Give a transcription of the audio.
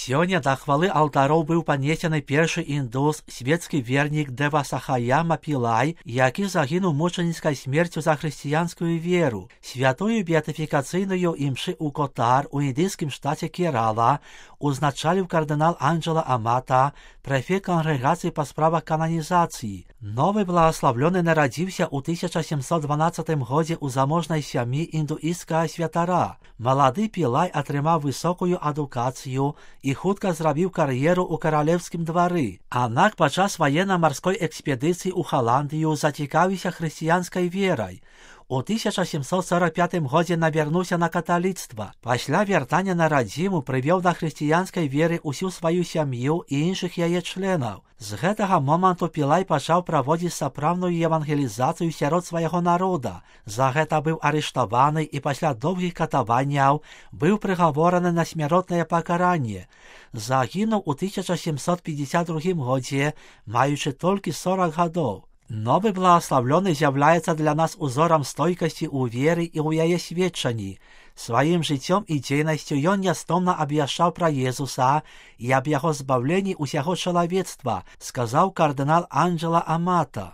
Сёння да хвалы алтароў быў панесены першы індус, свецкі вернік Дэвасахаяма Пілай, які загінуў мучаніцкай смерцю за хрысціянскую веру. Святую беатыфікацыйную імшы ў Котар у індыйскім штаце Керала узначаліў кардынал Анджела Амата, прэфект кангрэгацыі па справах кананізацыі. Новы благаславлёны нарадзіўся ў 1712 годзе ў заможнай сям'і індуісцкага святара. Малады Пілай атрымаў высокую адукацыю і хутка зрабіў кар'еру ў каралеўскім двары. Аднак падчас ваенна-марской экспедыцыі ў Халандыю зацікавіўся хрысціянскай верай. У 1745 годзе навярнуўся на каталіцтва. Пасля вяртання на радзіму прывёў да хрысціянскай веры ўсю сваю сям'ю і іншых яе членаў. З гэтага моманту Пілай пачаў праводзіць сапраўдную евангелізацыю сярод свайго народа. За гэта быў арыштаваны і пасля доўгіх катаванняў быў прыгавораны на смяротнае пакаранне. Загінуў у 1752 годзе, маючы толькі 40 гадоў. Новы благаславлёны з'яўляецца для нас узорам стойкасці ў веры і ў яе сведчанні. Сваім жыццём і дзейнасцю ён нястомна абвяшчаў пра Езуса і аб яго збаўленні ўсяго чалавецтва, сказаў кардынал Анджела Амата.